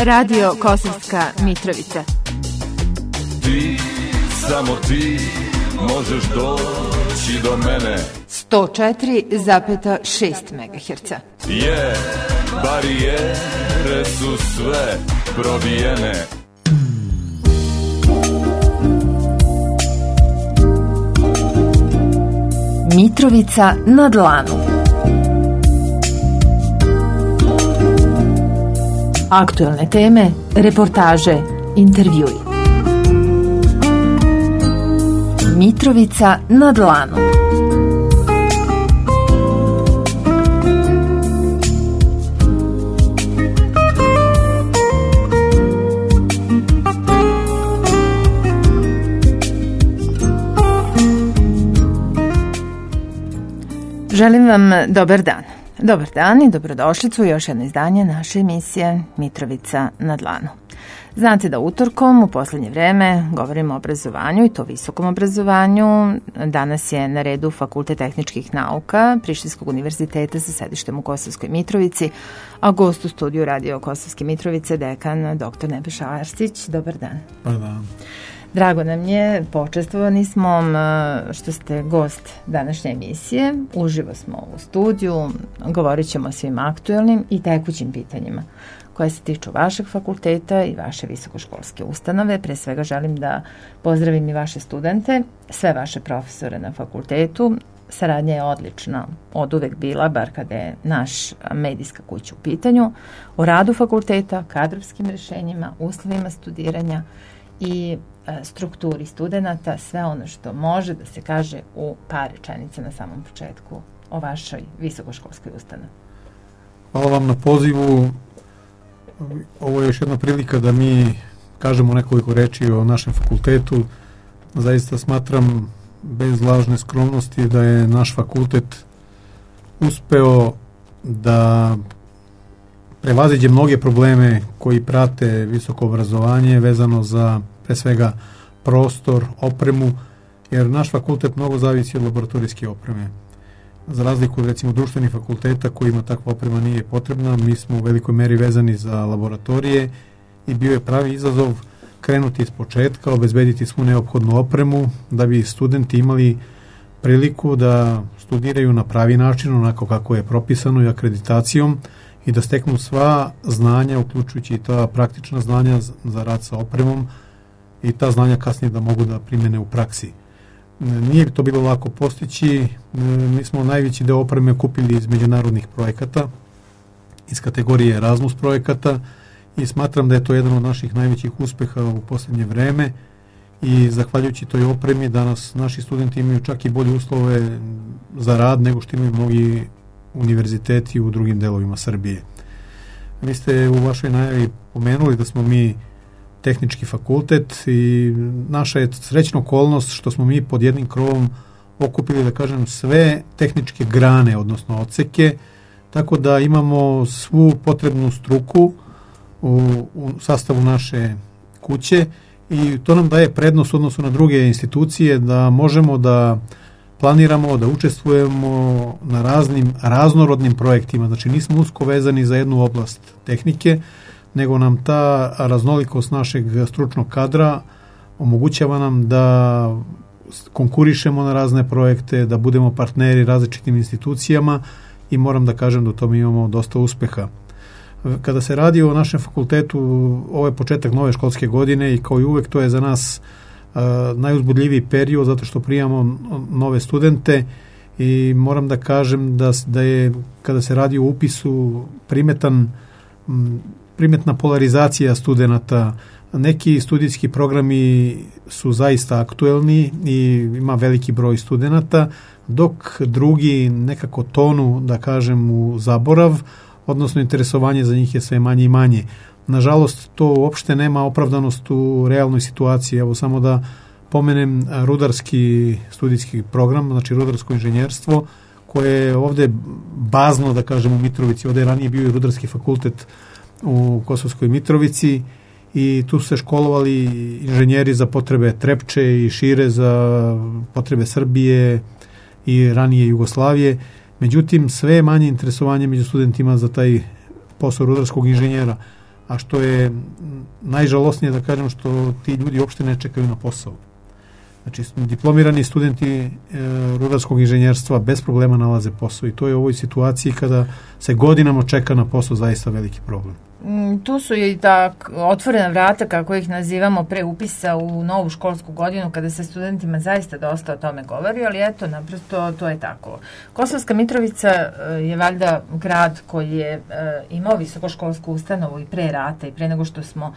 Radio Kosovska Mitrovica. Ti, samo ti, možeš doći do mene. 104,6 MHz. Je, barijere su sve probijene. Mitrovica na dlanu. Aktuelne teme, reportaže, intervjui. Mitrovica na dlanu. Želim vam dobar dan. Dobar dan i dobrodošlicu u još jedno izdanje naše emisije Mitrovica na dlanu. Znate da utorkom u posljednje vreme govorimo o obrazovanju i to visokom obrazovanju. Danas je na redu Fakultet tehničkih nauka Prištinskog univerziteta sa sedištem u Kosovskoj Mitrovici, a gost u studiju Radio Kosovske Mitrovice dekan dr. Nebojša Arsić. Dobar dan. Dobar dan. Drago nam je, počestvovani smo što ste gost današnje emisije. Uživo smo u studiju, govorit ćemo o svim aktuelnim i tekućim pitanjima koje se tiču vašeg fakulteta i vaše visokoškolske ustanove. Pre svega želim da pozdravim i vaše studente, sve vaše profesore na fakultetu. Saradnja je odlična, od uvek bila, bar kada je naš medijska kuća u pitanju, o radu fakulteta, kadrovskim rješenjima, uslovima studiranja i strukturi studenata, sve ono što može da se kaže u par rečenica na samom početku o vašoj visokoškolskoj ustanovi. Hvala vam na pozivu. Ovo je još jedna prilika da mi kažemo nekoliko reči o našem fakultetu. Zaista smatram bez lažne skromnosti da je naš fakultet uspeo da prevaziđe mnoge probleme koji prate visoko obrazovanje vezano za pre svega prostor, opremu, jer naš fakultet mnogo zavisi od laboratorijske opreme. Za razliku od recimo društvenih fakulteta kojima takva oprema nije potrebna, mi smo u velikoj meri vezani za laboratorije i bio je pravi izazov krenuti iz početka, obezbediti svu neophodnu opremu da bi studenti imali priliku da studiraju na pravi način, onako kako je propisano i akreditacijom, i da steknu sva znanja, uključujući i ta praktična znanja za rad sa opremom, i ta znanja kasnije da mogu da primene u praksi. Nije to bilo lako postići. Mi smo najveći deo opreme kupili iz međunarodnih projekata, iz kategorije Erasmus projekata, i smatram da je to jedan od naših najvećih uspeha u posljednje vreme, i zahvaljujući toj opremi danas naši studenti imaju čak i bolje uslove za rad nego što imaju mnogi univerziteti u drugim delovima Srbije. Vi ste u vašoj najavi pomenuli da smo mi tehnički fakultet i naša je srećna okolnost što smo mi pod jednim krovom okupili, da kažem, sve tehničke grane, odnosno odseke, tako da imamo svu potrebnu struku u sastavu naše kuće, i to nam daje prednost u odnosu na druge institucije da možemo da planiramo, da učestvujemo na raznim raznorodnim projektima. Znači nismo usko vezani za jednu oblast tehnike, nego nam ta raznolikost našeg stručnog kadra omogućava nam da konkurišemo na razne projekte, da budemo partneri različitim institucijama, i moram da kažem da u tome imamo dosta uspeha. Kada se radi o našem fakultetu, ovo je početak nove školske godine i kao i uvek to je za nas najuzbudljiviji period zato što primamo nove studente, i moram da kažem da je kada se radi o upisu primetna polarizacija studenata. Neki studijski programi su zaista aktuelni i ima veliki broj studenata, dok drugi nekako tonu, da kažem, u zaborav, odnosno interesovanje za njih je sve manje i manje. Nažalost, to uopšte nema opravdanost u realnoj situaciji. Evo samo da pomenem rudarski studijski program, znači rudarsko inženjerstvo, koje je ovde bazno, da kažem, u Mitrovici. Ovde je ranije bio i rudarski fakultet u Kosovskoj Mitrovici, i tu su se školovali inženjeri za potrebe Trepče i šire za potrebe Srbije i ranije Jugoslavije. Međutim, sve je manje interesovanje među studentima za taj posao rudarskog inženjera. a što je najžalosnije da kažem što ti ljudi uopšte ne čekaju na posao. Znači, diplomirani studenti rudarskog inženjerstva bez problema nalaze posao i to je u ovoj situaciji kada se godinama čeka na posao zaista veliki problem. Tu su i otvorena vrata, kako ih nazivamo, pre upisa u novu školsku godinu, kada se studentima zaista dosta o tome govori, ali eto, naprosto to je tako. Kosovska Mitrovica je valjda grad koji je imao visokoškolsku ustanovu i pre rata i pre nego što smo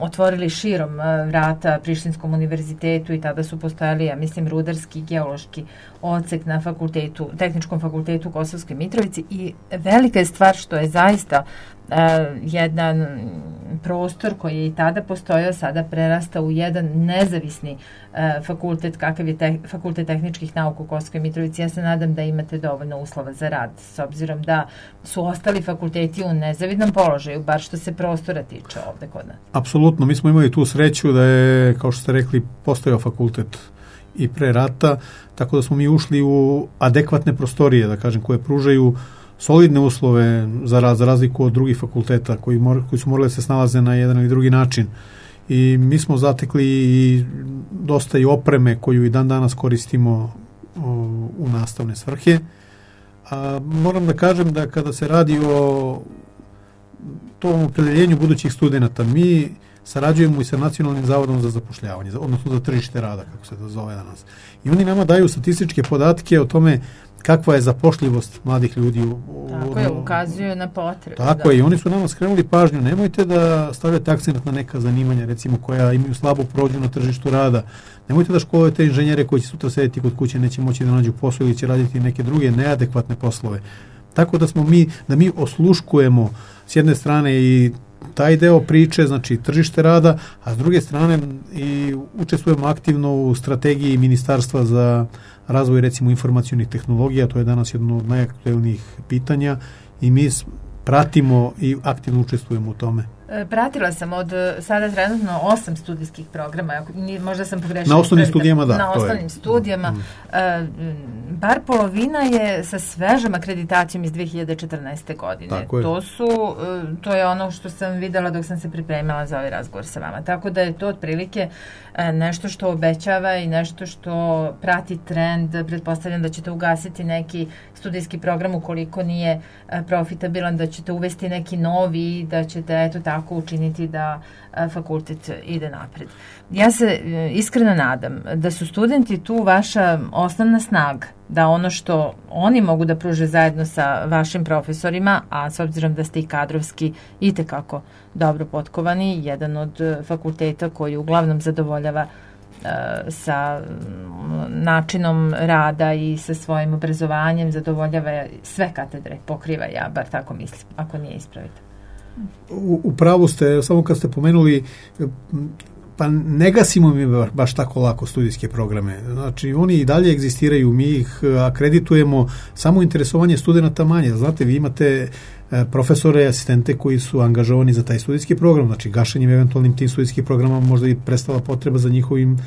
otvorili širom vrata Prištinskom univerzitetu i tada su postojali, ja mislim, rudarski i geološki odsek na Tehničkom fakultetu u Kosovskoj Mitrovici i velika je stvar što je zaista jedan prostor koji je i tada postojao, sada prerasta u jedan nezavisni fakultet, kakav je Fakultet tehničkih nauka u Kosovskoj Mitrovici. Ja se nadam da imate dovoljno uslova za rad, s obzirom da su ostali fakulteti u nezavidnom položaju, bar što se prostora tiče ovde kod nas. Apsolutno, mi smo imali tu sreću da je, kao što ste rekli, postojao fakultet i pre rata, tako da smo mi ušli u adekvatne prostorije, da kažem, koje pružaju solidne uslove za razliku od drugih fakulteta koji su morali da se snalaze na jedan ili drugi način. I mi smo zatekli i dosta i opreme koju i dan danas koristimo u nastavne svrhe. Moram da kažem da kada se radi o tom opredeljenju budućih studenata, mi sarađujemo i sa Nacionalnim zavodom za zapošljavanje, odnosno za tržište rada, kako se to zove danas. I oni nama daju statističke podatke o tome kakva je zapošljivost mladih ljudi. Tako je, ukazuju na potrebe. Tako je, i oni su nama skrenuli pažnju. Nemojte da stavljate akcent na neka zanimanja, recimo, koja imaju slabu prođu na tržištu rada. Nemojte da školujete inženjere koji će sutra sedeti kod kuće, neće moći da nađu posao ili će raditi neke druge neadekvatne poslove. Tako da mi osluškujemo s jedne strane i taj deo priče, znači tržište rada, a s druge strane i učestvujemo aktivno u strategiji Ministarstva za razvoj, recimo, informacionih tehnologija. To je danas jedno od najaktuelnijih pitanja i mi pratimo i aktivno učestvujemo u tome. Pratila sam od sada trenutno 8 studijskih programa, možda sam pogrešila. Na osnovnim studijama, da. Na osnovnim studijama. Bar polovina je sa svežom akreditacijom iz 2014. godine. Tako je. To je ono što sam videla dok sam se pripremala za ovaj razgovor sa vama. Tako da je to otprilike nešto što obećava i nešto što prati trend. Pretpostavljam da ćete ugasiti neki studijski program ukoliko nije profitabilan, da ćete uvesti neki novi, da ćete eto tako učiniti da fakultet ide napred. Ja se iskreno nadam da su studenti tu vaša osnovna snaga, da ono što oni mogu da pruže zajedno sa vašim profesorima, a s obzirom da ste i kadrovski itekako dobro potkovani, jedan od fakulteta koji uglavnom zadovoljava sa načinom rada i sa svojim obrazovanjem, zadovoljava sve katedre, pokriva, ja bar tako mislim, ako nije ispravite. U pravu ste, samo kad ste pomenuli, pa ne gasimo mi baš tako lako studijske programe. Znači, oni i dalje egzistiraju, mi ih akreditujemo, samo interesovanje studenta manje. Znate, vi imate profesore i asistente koji su angažovani za taj studijski program, znači gašenjem eventualnim tim studijskih programa možda i prestala potreba za njihovim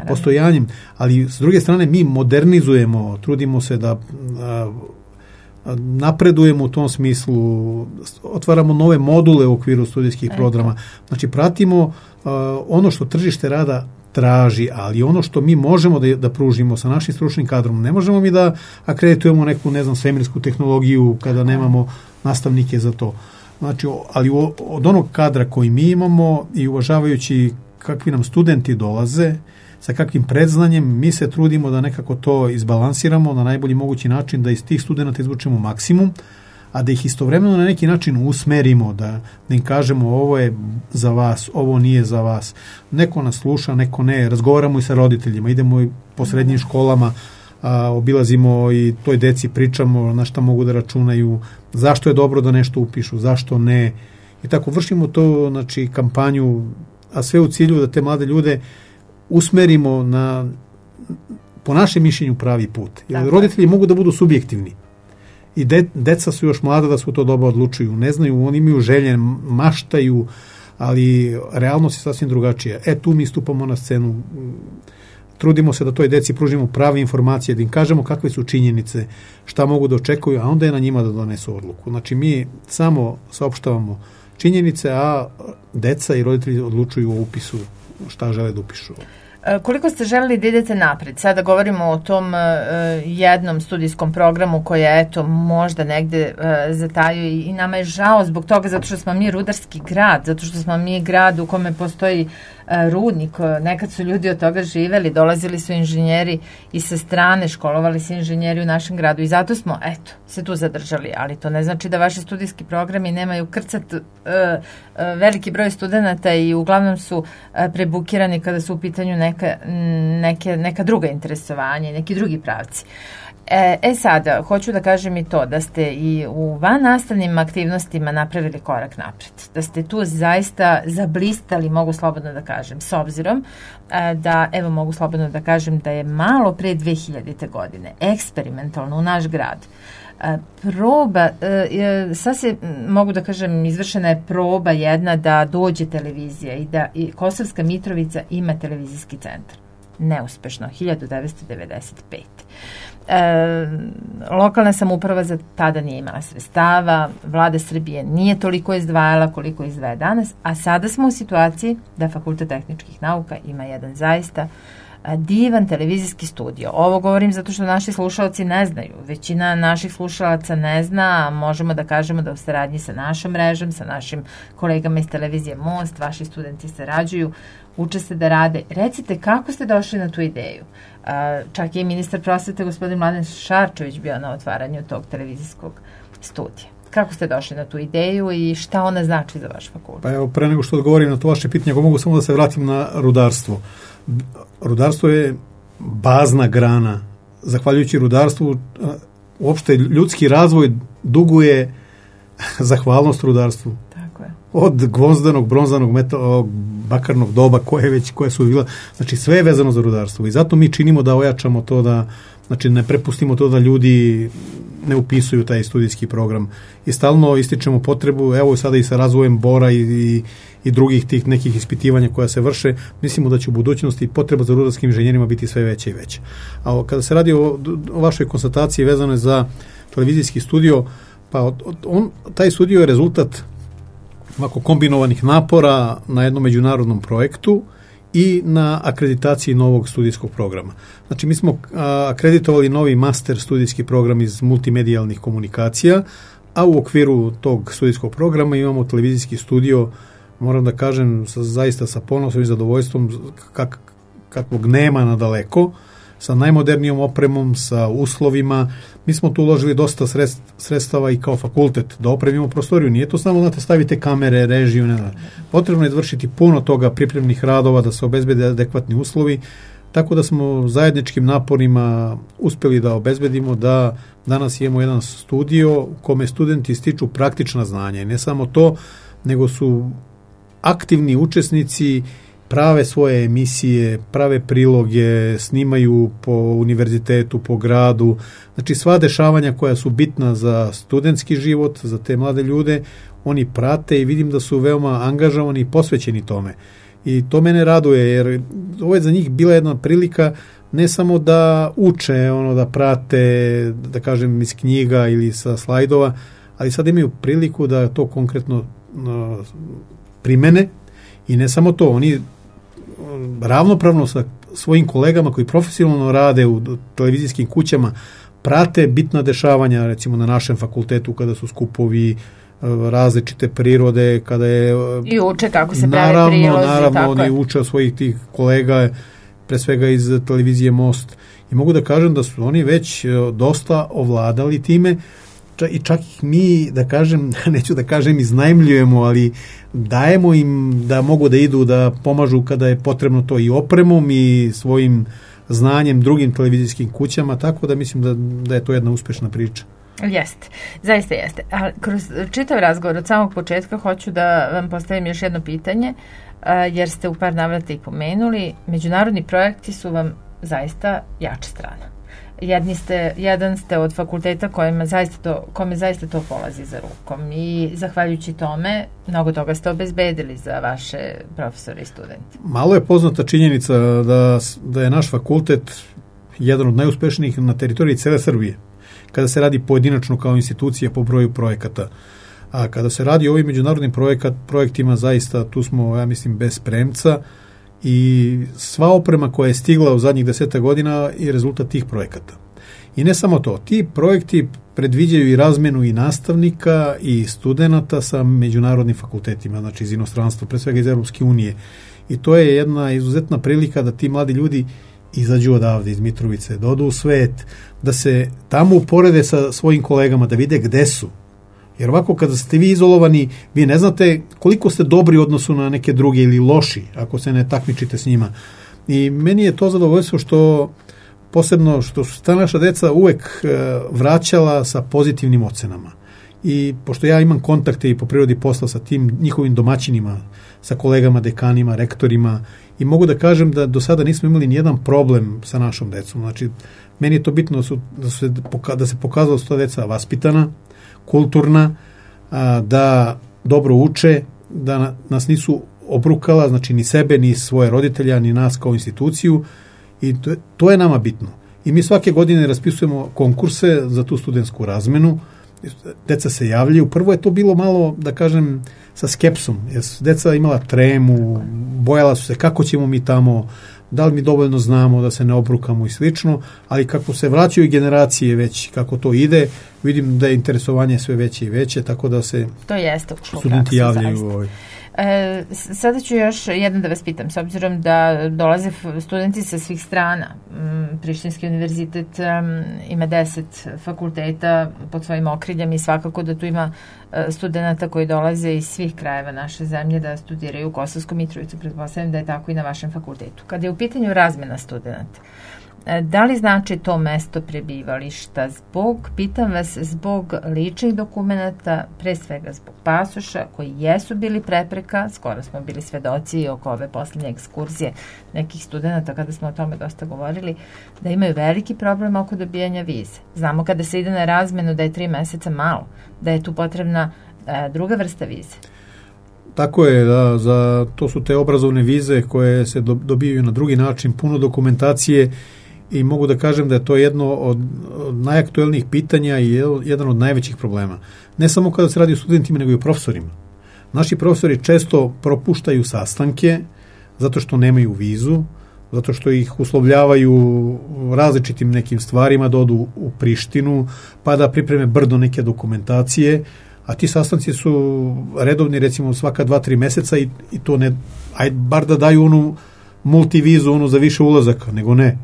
postojanjem, ali s druge strane mi modernizujemo, trudimo se da napredujemo u tom smislu, otvaramo nove module u okviru studijskih programa, znači pratimo ono što tržište rada traži, ali ono što mi možemo da pružimo sa našim stručnim kadrom, ne možemo mi da akreditujemo neku, ne znam, svemirsku tehnologiju kada nemamo nastavnike za to. Znači, ali od onog kadra koji mi imamo i uvažavajući kakvi nam studenti dolaze, sa kakvim predznanjem, mi se trudimo da nekako to izbalansiramo na najbolji mogući način, da iz tih studenta izvučemo maksimum, a da ih istovremeno na neki način usmerimo, da im kažemo ovo je za vas, ovo nije za vas. Neko nas sluša, neko ne. Razgovaramo i sa roditeljima, idemo i po srednjim školama, obilazimo i toj deci pričamo na šta mogu da računaju, zašto je dobro da nešto upišu, zašto ne. I tako vršimo to, znači, kampanju, a sve u cilju da te mlade ljude usmerimo na, po našem mišljenju, pravi put. Jer roditelji mogu da budu subjektivni. I deca su još mlada da su to doba odlučuju. Ne znaju, oni imaju želje, maštaju, ali realnost je sasvim drugačija. Tu mi stupamo na scenu, trudimo se da toj deci pružimo prave informacije, da im kažemo kakve su činjenice, šta mogu da očekuju, a onda je na njima da donesu odluku. Znači, mi samo saopštavamo činjenice, a deca i roditelji odlučuju o upisu šta žele da upišu. Koliko ste želeli da idete napred? Sada govorimo o tom jednom studijskom programu koji je eto možda negde zatajio i nama je žao zbog toga zato što smo mi rudarski grad, zato što smo mi grad u kome postoji rudnik. Nekad su ljudi od toga živeli, dolazili su inženjeri i sa strane, školovali se inženjeri u našem gradu i zato smo eto se tu zadržali, ali to ne znači da vaši studijski programi nemaju krcat veliki broj studenata i uglavnom su prebukirani kada su u pitanju neka druga interesovanja i neki drugi pravci. Sada, hoću da kažem i to da ste i u vannastavnim aktivnostima napravili korak napred. Da ste tu zaista zablistali, mogu slobodno da kažem, s obzirom da, evo mogu slobodno da kažem da je malo pre 2000. godine eksperimentalno u naš grad proba, sad se mogu da kažem izvršena je proba jedna da dođe televizija i da i Kosovska Mitrovica ima televizijski centar. Neuspešno, 1995. Lokalna samouprava za tada nije imala sredstava, vlada Srbije nije toliko izdvajala koliko izdvaja danas, a sada smo u situaciji da Fakultet tehničkih nauka ima jedan zaista divan televizijski studio. Ovo govorim zato što naši slušalci ne znaju. Većina naših slušalaca ne zna, a možemo da kažemo da u saradnji sa našom mrežom, sa našim kolegama iz televizije Most, vaši studenti sarađuju, uče se da rade. Recite kako ste došli na tu ideju? Čak je i ministar prosvete gospodin Mladen Šarčević bio na otvaranju tog televizijskog studija. Kako ste došli na tu ideju i šta ona znači za vaš fakultet? Pa evo, pre nego što odgovorim na to vaše pitanje, ako mogu samo da se vratim na rudarstvo. Rudarstvo je bazna grana. Zahvaljujući rudarstvu, uopšte ljudski razvoj duguje zahvalnost rudarstvu. Tako je. Od gvozdanog, bronzanog, bakarnog doba, koje su bila, znači sve je vezano za rudarstvo. I zato mi činimo da ojačamo to, da znači ne prepustimo to da ljudi ne upisuju taj studijski program. I stalno ističemo potrebu, evo sada i sa razvojem bora i drugih tih nekih ispitivanja koja se vrše, mislimo da će u budućnosti potreba za rudarskim inženjerima biti sve veća i veća. A kada se radi o vašoj konstataciji vezano za televizijski studio, pa taj studio je rezultat ovako kombinovanih napora na jednom međunarodnom projektu i na akreditaciji novog studijskog programa. Znači, mi smo akreditovali novi master studijski program iz multimedijalnih komunikacija, a u okviru tog studijskog programa imamo televizijski studio, moram da kažem, zaista sa ponosom i zadovoljstvom kakvog nema nadaleko, sa najmodernijom opremom, sa uslovima. Mi smo tu uložili dosta sredstava i kao fakultet da opremimo prostoriju. Nije to samo da stavite kamere, režiju, ne. Potrebno je izvršiti puno toga, pripremnih radova, da se obezbede adekvatni uslovi, tako da smo zajedničkim naporima uspeli da obezbedimo da danas imamo jedan studio u kome studenti stiču praktična znanja. I ne samo to, nego su aktivni učesnici, prave svoje emisije, prave priloge, snimaju po univerzitetu, po gradu. Znači sva dešavanja koja su bitna za studentski život, za te mlade ljude, oni prate i vidim da su veoma angažovani i posvećeni tome. I to mene raduje, jer ovo je za njih bila jedna prilika ne samo da uče, da prate, da kažem, iz knjiga ili sa slajdova, ali sad imaju priliku da to konkretno primene. I ne samo to, oni ravnopravno sa svojim kolegama koji profesionalno rade u televizijskim kućama prate bitna dešavanja, recimo na našem fakultetu kada su skupovi različite prirode, kada je... I uče kako se prave prilozi. Naravno, oni uče od svojih tih kolega, pre svega iz televizije Most. I mogu da kažem da su oni već dosta ovladali time, i čak ih mi, da kažem, neću da kažem iznajmljujemo, ali dajemo im da mogu da idu, da pomažu kada je potrebno to i opremom i svojim znanjem drugim televizijskim kućama, tako da mislim da je to jedna uspešna priča. Jeste, zaista jeste. Ali kroz čitav razgovor od samog početka hoću da vam postavim još jedno pitanje, jer ste u par navrata i pomenuli, međunarodni projekti su vam zaista jača strana. Jedan ste od fakulteta kome zaista to polazi za rukom i zahvaljujući tome mnogo toga ste obezbedili za vaše profesore i studente. Malo je poznata činjenica da je naš fakultet jedan od najuspešnijih na teritoriji cele Srbije, kada se radi pojedinačno kao institucija po broju projekata. A kada se radi o ovim međunarodnim projektima, zaista tu smo, ja mislim, bez premca i sva oprema koja je stigla u zadnjih 10 godina je rezultat tih projekata. I ne samo to, ti projekti predviđaju i razmenu i nastavnika i studenata sa međunarodnim fakultetima, znači iz inostranstva, pre svega iz Europske unije. I to je jedna izuzetna prilika da ti mladi ljudi izađu odavde iz Mitrovice, da odu u svet, da se tamo uporede sa svojim kolegama, da vide gde su. Jer ovako kada ste vi izolovani, vi ne znate koliko ste dobri u odnosu na neke druge ili loši, ako se ne takmičite s njima. I meni je to zadovoljstvo što posebno što su ta naša deca uvek vraćala sa pozitivnim ocenama. I pošto ja imam kontakte i po prirodi posla sa tim njihovim domaćinima, sa kolegama, dekanima, rektorima, i mogu da kažem da do sada nismo imali nijedan problem sa našom decom. Znači, meni je to bitno da se pokazalo da su ta deca vaspitana, kulturna, da dobro uče, da nas nisu obrukala, znači ni sebe, ni svoje roditelja, ni nas kao instituciju, i to je nama bitno. I mi svake godine raspisujemo konkurse za tu studentsku razmenu, deca se javljaju. Prvo je to bilo malo, da kažem, sa skepsom, jer deca imala tremu, bojala su se kako ćemo mi tamo, da li mi dovoljno znamo da se ne obrukamo i slično, ali kako se vraćaju generacije već, kako to ide, vidim da je interesovanje sve veće i veće, tako da se studenti javljaju. Sada ću još jedno da vas pitam, s obzirom da dolaze studenti sa svih strana. Prištinski univerzitet ima 10 fakulteta pod svojim okriljem i svakako da tu ima studenta koji dolaze iz svih krajeva naše zemlje da studiraju u Kosovskom Mitrovicu. Pretpostavljam da je tako i na vašem fakultetu. Kada je u pitanju razmena studenta, da li znači to mesto prebivališta pitam vas, zbog ličnih dokumenata, pre svega zbog pasoša, koji jesu bili prepreka, skoro smo bili svedoci oko ove poslednje ekskurzije nekih studenta, kada smo o tome dosta govorili, da imaju veliki problem oko dobijanja vize. Znamo kada se ide na razmenu da je 3 meseca malo, da je tu potrebna druga vrsta vize. Tako je, da, to su te obrazovne vize koje se dobijaju na drugi način, puno dokumentacije, i mogu da kažem da je to jedno od najaktuelnijih pitanja i jedan od najvećih problema. Ne samo kada se radi o studentima, nego i o profesorima. Naši profesori često propuštaju sastanke zato što nemaju vizu, zato što ih uslovljavaju različitim nekim stvarima, da odu u Prištinu, pa da pripreme brdo neke dokumentacije, a ti sastanci su redovni, recimo svaka 2-3 meseca i to ne, bar da daju onu multivizu, onu za više ulazaka, nego ne,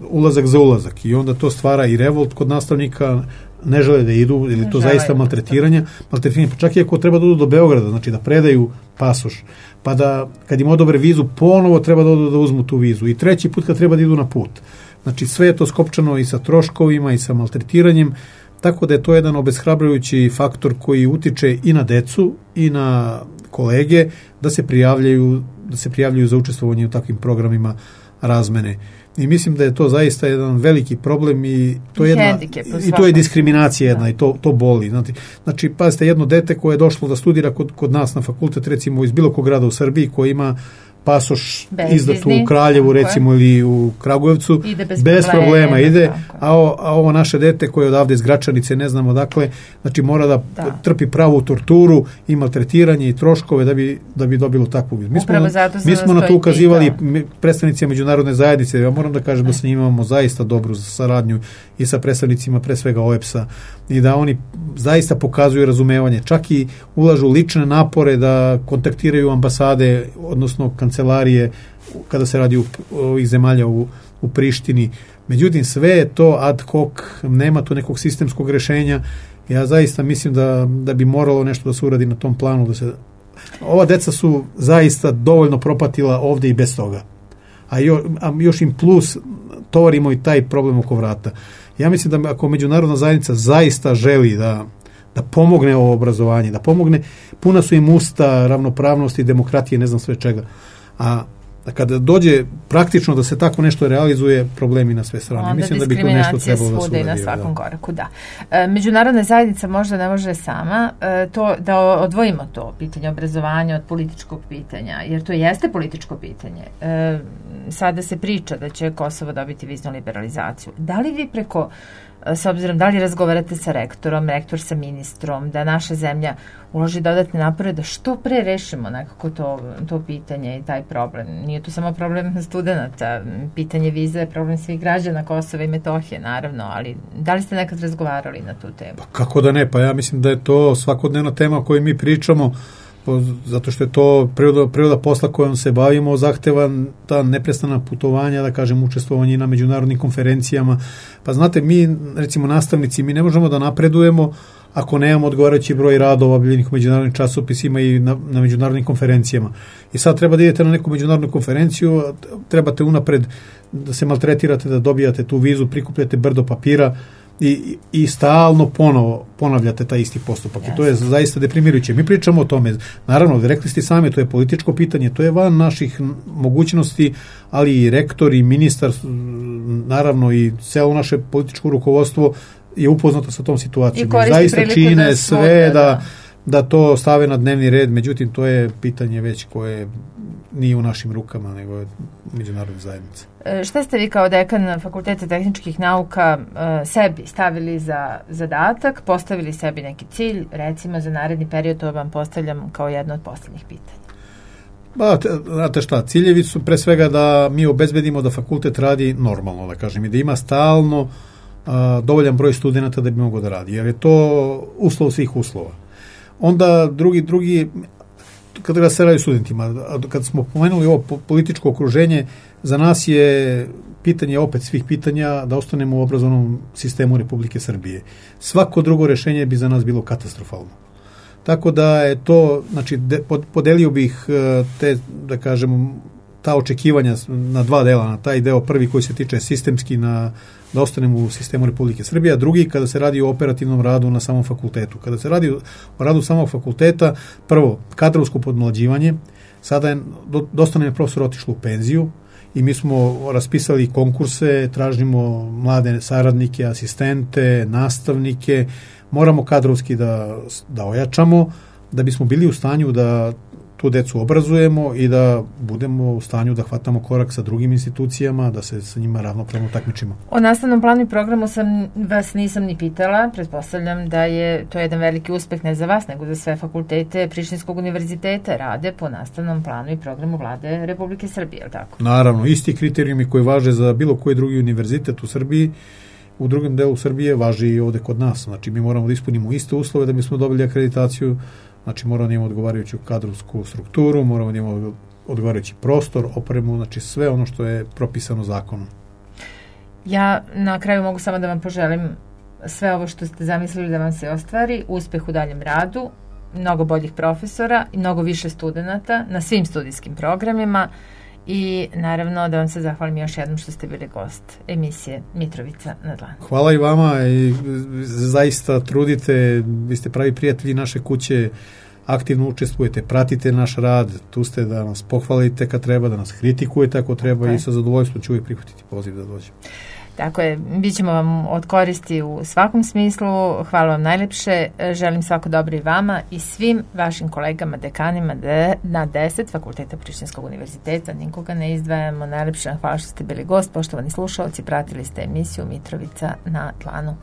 ulazak za ulazak, i onda to stvara i revolt kod nastavnika, ne žele da idu, ili to zaista maltretiranje, pa čak i ako treba da odu do Beograda, znači da predaju pasoš, pa da kad im odobre vizu, ponovo treba da odu da uzmu tu vizu, i treći put kad treba da idu na put. Znači sve je to skopčano i sa troškovima i sa maltretiranjem, tako da je to jedan obeshrabrujući faktor koji utiče i na decu i na kolege da se prijavljuju za učestvovanje u takvim programima razmene. I mislim da je to zaista jedan veliki problem i to je diskriminacija jedna, i to boli. Znači, pazite, jedno dete koje je došlo da studira kod nas na fakultet, recimo iz bilo kog grada u Srbiji, koji ima pasoš izdat u Kraljevu, recimo, ili u Kragujevcu, bez problema ide, a ovo naše dete koje je odavde iz Gračanice, ne znamo odakle, znači mora da trpi pravu torturu i maltretiranje i troškove da bi dobilo takvu vizu. Mi smo na to ukazivali predstavnici međunarodne zajednice. Ja moram da kažem da sa njima imamo zaista dobru saradnju i sa predstavnicima pre svega OEBS-a, i da oni zaista pokazuju razumevanje, čak i ulažu lične napore da kontaktiraju ambasade, odnosno kancelarije kada se radi ovih zemalja u Prištini. Međutim, sve je to ad hoc, nema tu nekog sistemskog rešenja. Ja zaista mislim da bi moralo nešto da se uradi na tom planu. Ova deca su zaista dovoljno propatila ovde i bez toga. A još im plus tovarimo i taj problem oko vrata. Ja mislim da ako međunarodna zajednica zaista želi da pomogne ovo obrazovanje, da pomogne, puna su im usta ravnopravnosti, demokratije, ne znam sve čega. A kada dođe praktično da se tako nešto realizuje, problemi na sve strane. Mislim da bi to nešto trebalo da se uradi. Na svakom koraku, da. Međunarodna zajednica možda ne može sama da odvojimo to pitanje obrazovanja od političkog pitanja, jer to jeste političko pitanje. Sada se priča da će Kosovo dobiti viznu liberalizaciju. Da li vi preko s obzirom da li razgovarate sa rektorom, rektor sa ministrom, da naša zemlja uloži dodatne napore da što pre rešimo nekako to pitanje i taj problem. Nije to samo problem studenta, pitanje vize je problem svih građana Kosova i Metohije, naravno, ali da li ste nekad razgovarali na tu temu? Pa kako da ne, pa ja mislim da je to svakodnevna tema o kojoj mi pričamo, zato što je to priroda posla kojom se bavimo, zahteva ta neprestana putovanja, da kažem, učestvovanje na međunarodnim konferencijama. Pa znate, mi, recimo nastavnici, mi ne možemo da napredujemo ako nemamo odgovarajući broj radova objavljenih u međunarodnim časopisima i na međunarodnim konferencijama. I sad treba da idete na neku međunarodnu konferenciju, trebate unapred da se maltretirate, da dobijate tu vizu, prikupljate brdo papira, i stalno ponovo ponavljate taj isti postupak. I to je zaista deprimirujuće. Mi pričamo o tome. Naravno, rekli ste sami, to je političko pitanje, to je van naših mogućnosti, ali i rektor i ministar, naravno i celo naše političko rukovodstvo je upoznato sa tom situacijom. Zaista čine sve da to stave na dnevni red, međutim, to je pitanje već koje nije u našim rukama, nego je međunarodne zajednice. Šta ste vi kao dekan Fakulteta tehničkih nauka sebi stavili za zadatak, postavili sebi neki cilj, recimo za naredni period, to vam postavljam kao jedno od poslednjih pitanja? Znate šta, ciljevi su pre svega da mi obezbedimo da fakultet radi normalno, da kažem, i da ima stalno dovoljan broj studenta da bi mogao da radi, jer je to uslov svih uslova. Onda drugi kada se radi studentima, kad smo pomenuli ovo političko okruženje, za nas je pitanje opet svih pitanja da ostanemo u obrazovnom sistemu Republike Srbije. Svako drugo rešenje bi za nas bilo katastrofalno. Tako da je to, znači, podelio bih te, da kažem, ta očekivanja na dva dela, na taj deo prvi koji se tiče sistemski da ostanemo u sistemu Republike Srbije, a drugi kada se radi o operativnom radu na samom fakultetu. Kada se radi o radu samog fakulteta, prvo, kadrovsko podmlađivanje, sada je dosta nam je profesor otišlo u penziju i mi smo raspisali konkurse, tražimo mlade saradnike, asistente, nastavnike, moramo kadrovski da ojačamo, da bismo bili u stanju da tu decu obrazujemo i da budemo u stanju da hvatamo korak sa drugim institucijama, da se sa njima ravnopravno takmičimo. O nastavnom planu i programu vas nisam ni pitala, pretpostavljam da je to jedan veliki uspeh ne za vas, nego za sve fakultete Prištinskog univerziteta rade po nastavnom planu i programu Vlade Republike Srbije, je li tako? Naravno, isti kriterijumi koji važe za bilo koji drugi univerzitet u Srbiji, u drugom delu Srbije važi i ovde kod nas. Znači, mi moramo da ispunimo iste uslove da bismo dobili akreditaciju. Znači, moramo da imamo odgovarajuću kadrovsku strukturu, moramo da imamo odgovarajući prostor, opremu, znači sve ono što je propisano zakonom. Ja na kraju mogu samo da vam poželim sve ovo što ste zamislili da vam se ostvari, uspeh u daljem radu, mnogo boljih profesora i mnogo više studenata na svim studijskim programima i naravno da vam se zahvalim još jednom što ste bili gost emisije Mitrovica na dlanu. Hvala i vama i zaista trudite, vi ste pravi prijatelji naše kuće, aktivno učestvujete, pratite naš rad, tu ste da nas pohvalite kad treba, da nas kritikujete ako treba i sa zadovoljstvom ću uvijek prihvatiti poziv da dođem. Tako je, bit ćemo vam od koristi u svakom smislu. Hvala vam najlepše. Želim svako dobro i vama i svim vašim kolegama, dekanima na 10 Fakulteta Prištinskog univerziteta. Nikoga ne izdvajamo. Najlepše hvala što ste bili gost. Poštovani slušalci, pratili ste emisiju Mitrovica na dlanu.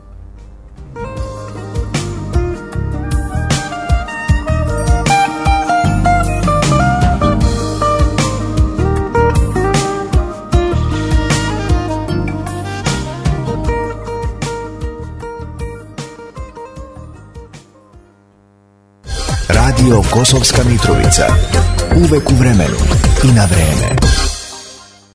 Radio Kosovska Mitrovica. Uvek u vremenu i na vreme.